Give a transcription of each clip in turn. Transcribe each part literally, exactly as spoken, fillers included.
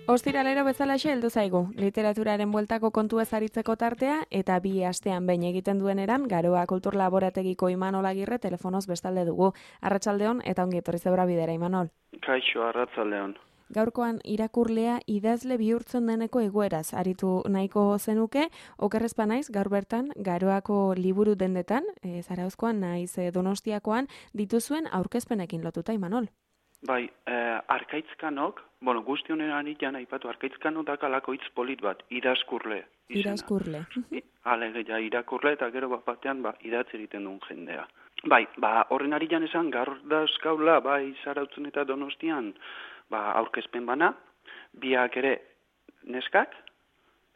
Ostiralero bezalaxe heldu zaigu, literaturaren bueltako kontu ez aritzeko tartea eta bi astean behin egiten duen eran, Garoa Kultur Laborategiko Imanol Agirre telefonoz bestalde dugu. Arratsaldeon eta ongi etorri zeura bidera, Imanol. Kaixo, arratsaldeon. Gaurkoan irakurlea idazle bihurtzen deneko egoeraz aritu nahiko zenuke, okerrezpa naiz gaur bertan Garoako liburu dendetan, e, Zarauzkoan naiz e, Donostiakoan dituzuen aurkezpenekin lotuta, Imanol. Bai, eh, arkaitzkanok, bueno, guzti honen anitan aipatu, arkaitzkanok dakalako hitz polit bat, idazkurle. Izena. Idazkurle. Alegia, irakurle eta gero bat batean ba, idatz egiten duen jendea. Bai, ba, horren aritan esan, gaur dauzkaula, bai, Zarautzen eta Donostian, ba, aurkezpen bana, biak ere neskak,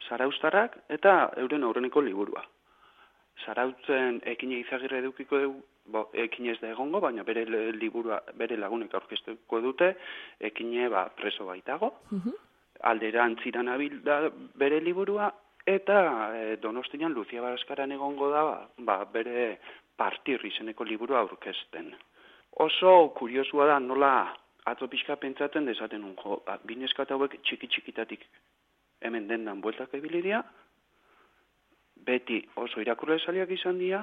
zarauztarrak eta euren aurreneko liburua. Zarautzen Ekine Izagirre edukiko dugu, bo, Ekine ez da egongo, baina bere liburua, bere lagunek aurkeztuko dute, Ekine ba, preso baitago, uh-huh. Alderantziran abil da bere liburua, eta e, Donostian Lucia Baraskaran egongo da, ba, bere Partir izeneko liburua aurkezten. Oso kuriosua da, nola atzo pixka pentsatzen dezaten unjo, ba, bineskat hauek txiki-txikitatik hemen dendan bueltak ebilidia, beti oso irakurle zaliak izan dira,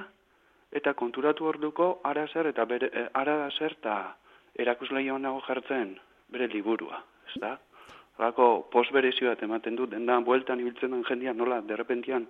eta konturatu orduko ara zer eta bere, eh, ara zer eta erakusleioan nago jartzen bere liburua, ez da? Horako post berezio bat ematen du, dendan bueltan ibiltzen den jendia nola derrepentian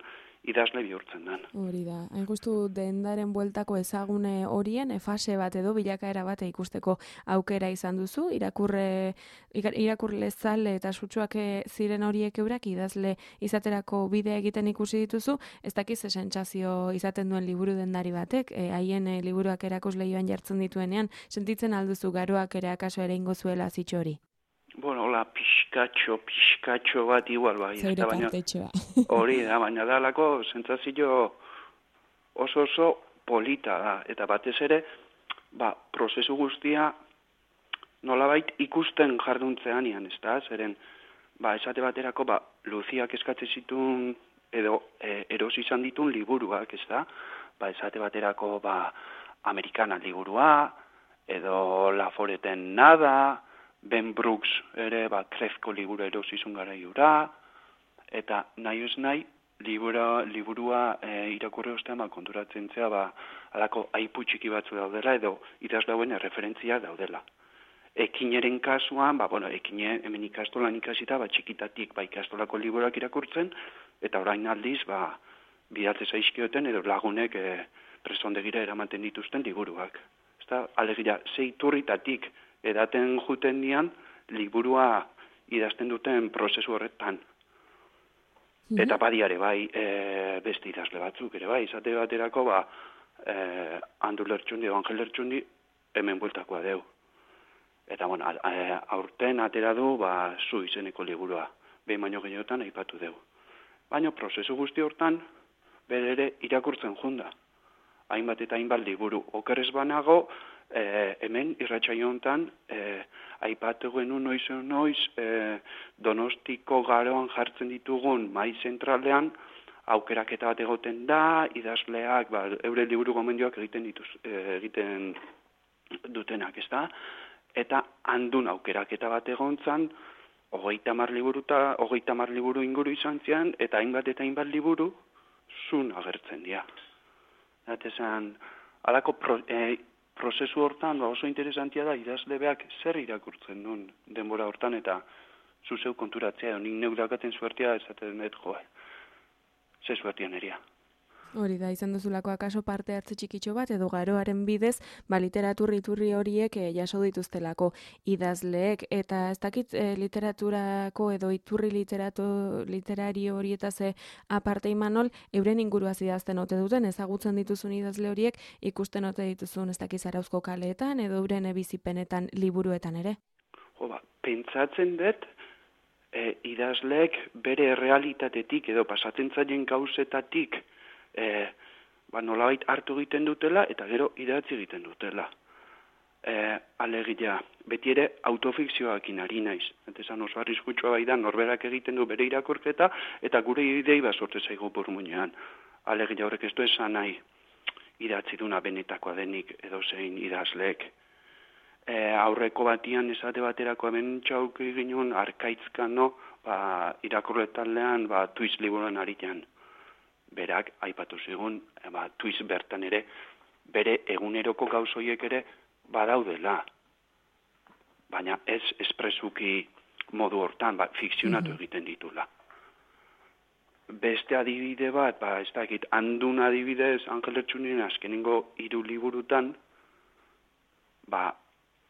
idazle bihurtzen den. Hori da, hain justu dendaren bueltako ezagune horien, fase bat edo bilakaera bate ikusteko aukera izan duzu, irakurre, irakurle zale eta sutsuak ziren horiek eurak idazle izaterako bidea egiten ikusi dituzu, ez dakiz sentsazio izaten duen liburu dendari batek, haien e, liburuak erakusleioan jartzen dituenean, sentitzen alduzu Garoak ere akaso ere ingo zuela zitxo hori? Bueno, hola, pixkatxo, pixkatxo bat igual bai. Zeure partetxoa. Hori da, baina dalako sentsazio oso oso polita da. Eta batez ere, ba, prozesu guztia nolabait ikusten jarduntzean ian, ez da? Zeren, ba, esate baterako, ba, Luziak eskatze zitun, edo e, erosi izan ditun liburuak, ez da? Ba, esate baterako, ba, Amerikana liburua, edo Laforeten Nada, Ben Brooks ere, ba, Krefko liburu erosizun gara iura, eta nahi ez nahi, libura, liburua e, irakurri ostean, ba, konturatzen zea, ba, alako aipu txiki batzu daudela, edo idazlauen erreferentzia daudela. Ekineren kasuan, ba, bueno, Ekine hemen ikastolan ikasita, ba, txikitatik, ba, ikastolako liburuak irakurtzen, eta orain aldiz, ba, bidatzez aizkioten, edo lagunek e, presondegira eramaten dituzten liburuak. Ezta, alegia, zeiturritatik, edaten juten dian, liburua idazten duten prozesu horretan. Mm-hmm. Eta badiare, bai, e, beste idazle batzuk, ere bai, izate baterako, ba, e, Andu Lertxundi, Angel Lertxundi, hemen bueltakoa deu. Eta, bueno, a, a, aurten atera du, ba, zu izeneko liburua, behin baino gehiotan aipatu deu. Baina prozesu guzti hortan, bere ere irakurtzen junda. Hainbat eta hainbat liburu. Okerrez banago, E, hemen irratsaio hontan e, aipatu genuen noiz noiz e, Donostiko Garoan jartzen ditugun mai zentralean aukeraketa bat egoten da, idazleak ba, eure liburu gomendioak egiten dituz, e, egiten dutenak, ez da? Eta handun aukeraketa bat egontzan, hogeita hamar liburu eta hogeita hamar liburu inguru izan zian, eta hainbat eta hainbat liburu zun agertzen dira. Eta esan, alako pro, e, prozesu hortan oso interesantia da idazlebeak zer irakurtzen duen denbora hortan eta zuzeu konturatzea, nik neurakaten suertia esaten dut joa. Ze suertia neria. Hori da, izan duzulako akaso parte hartze txikitxo bat, edo Garoaren bidez, ba, literatur iturri horiek e, jaso dituztelako idazleek, eta ez dakit e, literaturako edo iturri literatu, literari horietaz e, aparte Imanol, euren inguruaz idazten ote duten, ezagutzen dituzun idazle horiek, ikusten ote dituzun ez dakit Zarauzko kaleetan, edo euren e, bizipenetan liburuetan ere? Jo, ba, pentsatzen dut, e, idazleek bere realitatetik edo pasatzen zaien gauzetatik, E, ba, nolabait hartu egiten dutela eta gero idatzi egiten dutela. E, alegia, beti ere autofikzioakin ari naiz. Eta esan oso arriskutsua bai da, norberak egiten du bere irakurketa eta gure idei bat sortze zaigu burmuinean. Alegia horrek ez du esan nahi idatzi duna benetakoa denik edo zein idazleek. e, aurreko batian esate baterako hemen txauk ginen arkaitzkano, ba, irakurle taldean, ba, tuiz liburuan aritan. Berak, aipatu zigun, e, ba, tuiz bertan ere, bere eguneroko gauzoiek ere badaudela. Baina ez espresuki modu hortan, ba, fikzionatu egiten ditula. Beste adibide bat, ba, ez dakit, handun adibidez, Angel Ertxunien azkenengo hiru liburutan, ba,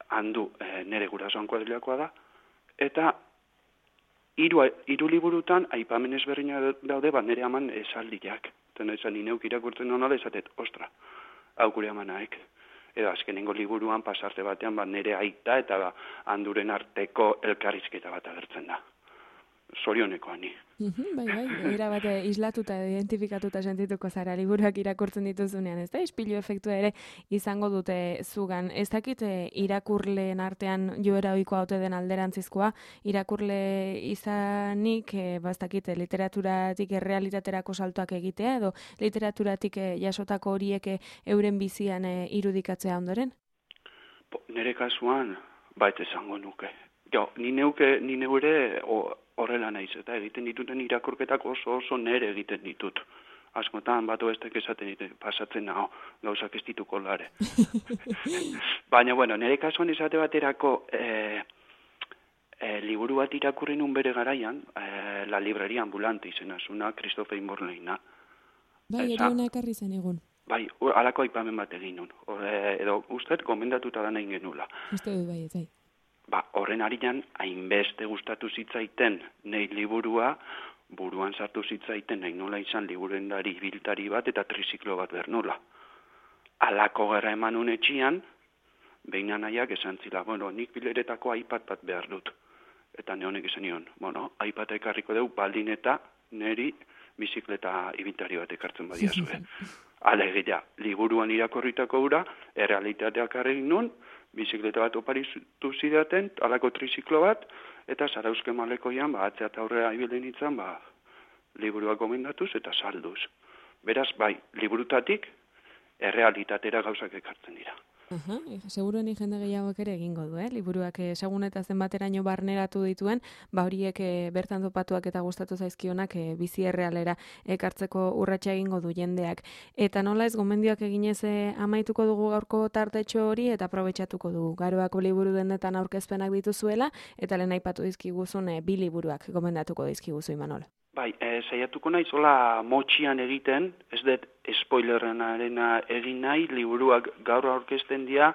handu e, nere gurasoan kuadrilakoa da, eta hiru, hiru liburutan aipamen ezberdina daude, ba, nere aman esaldiak. Eta esan, ineuk irakurtzen honala esatet, ostra, hau gure amanaek. Edo azkenengo liburuan pasarte batean, ba, nere aita eta ba, handuren arteko elkarrizketa bat agertzen da. Zorioneko ani. Uhum, bai, bai, era bate islatuta, identifikatuta sentituko zara liburuak irakurtzen dituzunean, ez da? Ispilu efektua ere izango dute zugan. Ez dakit irakurleen artean joera ohikoa ote den alderantzizkoa, irakurle izanik, e, bastakit, literaturatik errealitaterako saltoak egitea, edo literaturatik e, jasotako horiek euren bizian e, irudikatzea ondoren? Po, nere kasuan, bait esango nuke. Jo, ni neuke, ni neure horrela naiz, eta egiten dituten irakurketak oso oso nere egiten ditut. Askotan, batu estek esaten ditut, pasatzen naho, gauzak ez dituko lare. Baina, bueno, nere kasuan esate baterako e, e, liburu bat irakurri nun bere garaian, e, La Libreria Ambulante izena zuna, Christopher Morleyna. Bai, ere hona ekarri zen egun. Bai, halako aipamen bat egin nun. Ore, edo, ustez, gomendatuta da nahi genula. Uste dut bai, ez bai. Ba, horren arian, hainbeste gustatu zitzaiten nahi liburua, buruan sartu zitzaiten nahi nola izan liburendari biltari bat eta triziklo bat bernola. Alako gerra eman unetxian, behin nahiak esan zila, bueno, nik bileretako iPad bat behar dut. Eta nehonek esan nion, bueno, iPad ekarriko deu, baldin eta neri bizikleta ibiltari bat ekartzen badia zuen. Alegia, liburuan irakorritako ura, errealitateak arregin nun, bizikleta bat oparitu zidaten, alako triziklo bat, eta Zarauzke malekoian, ba, atzea eta aurrera ibilden itzan, ba, liburuak gomendatuz eta salduz. Beraz, bai, liburutatik, errealitatera gauzak ekartzen dira. Aha, seguro ni jende gehiagok ere egingo du, eh? Liburuak segun eta zenbateraino barneratu dituen, ba horiek e, bertan topatuak eta gustatu zaizkionak e, bizi errealera ekartzeko urratsa egingo du jendeak. Eta nola ez gomendioak eginez e, amaituko dugu gaurko tartetxo hori eta aprobetxatuko dugu. Garoako liburu dendetan aurkezpenak dituzuela eta lehen aipatu dizkiguzun e, bi liburuak gomendatuko dizkiguzu Imanol. Bai, e, saiatuko nahi zola motxian egiten, ez dut spoilerrenarena egin nahi, liburuak gaur aurkezten dira,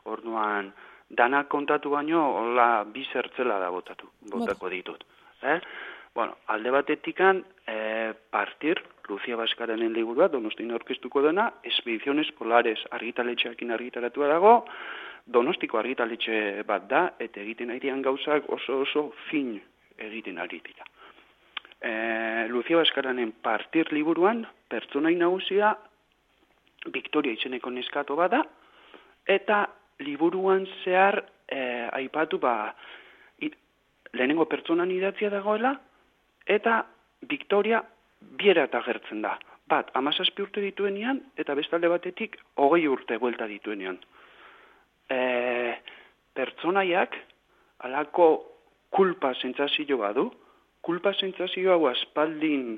orduan dana kontatu baino, hola bi zertzela da botatu, botako ditut. Eh? Bueno, alde batetikan, e, partir, Lucia Baskarenen liburua, Donostin aurkeztuko dena, Expediciones Polares argitaletxeakin argitaratua dago, Donostiko argitaletxe bat da, eta egiten arian gauzak oso oso fin egiten ari dira. E, Lucia Baskaranen partir liburuan, pertsonai nagusia, Victoria izeneko neskato bada, eta liburuan zehar e, aipatu ba, i, lehenengo pertsonan idatzia dagoela, eta Victoria bierat agertzen da. Bat, amazazpi urte dituenean, eta bestalde batetik, hogei urte buelta dituenean. E, pertsonaiak, alako kulpa sentsazio badu, kulpa sentsazio hau aspaldin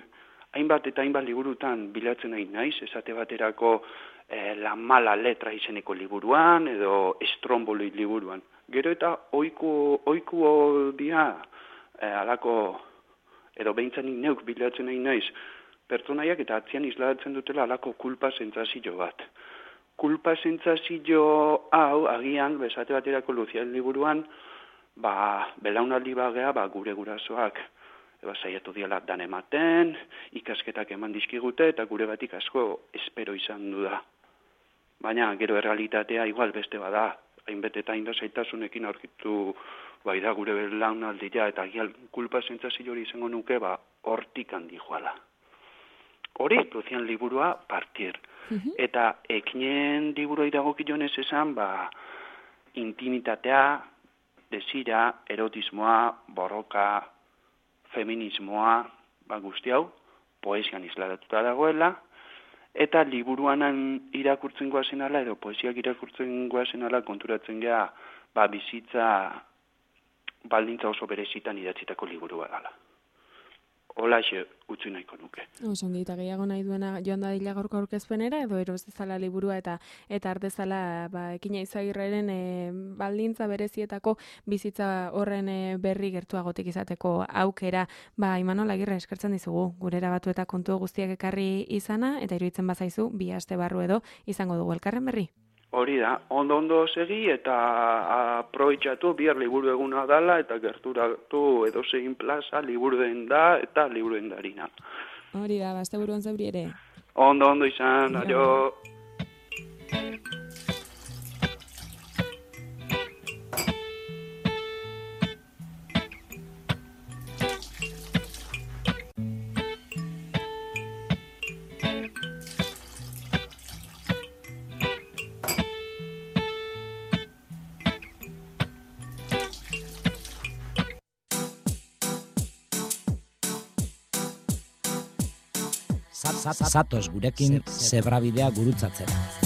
hainbat eta hainbat liburutan bilatzen nahi naiz, esate baterako eh, La Mala Letra izeneko liburuan, edo Estromboli liburuan. Gero eta oiku, oiku dia eh, alako, edo behintzen neuk bilatzen nahi naiz, pertsonaiak eta atzian islatzen dutela alako kulpa sentsazio bat. Kulpa sentsazio hau, agian, esate baterako Luzian liburuan, ba, belaunaldi bagea, ba, gure gurasoak, eba saiatu diala dan ematen, ikasketak eman dizkigute, eta gure batik asko espero izan du da. Baina, gero errealitatea igual beste bada, hainbet eta hainbat zaitasunekin aurkitu bai da gure belaunaldia, eta agial kulpa sentsazio hori izango nuke, ba, hortik handi joala. Hori, Luzian liburua, partir. Uh-huh. Eta ekinen liburua iragokionez esan, ba, intimitatea, desira, erotismoa, borroka, feminismoa, ba, guzti hau, poesian isladatuta dagoela, eta liburuanan irakurtzen goazen ala, edo poesiak irakurtzen goazen ala, konturatzen gea, ba, bizitza baldintza oso berezitan idatzitako liburua dela. Holaxe utzi nahiko nuke. Osongi, eta gehiago nahi duena joan da dila gaurko aurkezpenera, edo eroz dezala liburua eta eta ardezala ba, Ekina Izagirreren e, baldintza berezietako bizitza horren e, berri gertuagotik izateko aukera. Ba, Imanol Agirre, eskertzen dizugu, gurera batu eta kontu guztiak ekarri izana, eta iruditzen bazaizu, bi aste barru edo izango dugu elkarren berri. Hori da, ondo-ondo segi eta aprobetxatu bihar liburu eguna dala eta gerturatu edozein plaza liburu den da eta liburu den darina. Hori da, bazte buruan zauri ere. Ondo-ondo izan, aio. Zatoz gurekin zebrabidea gurutzatzera.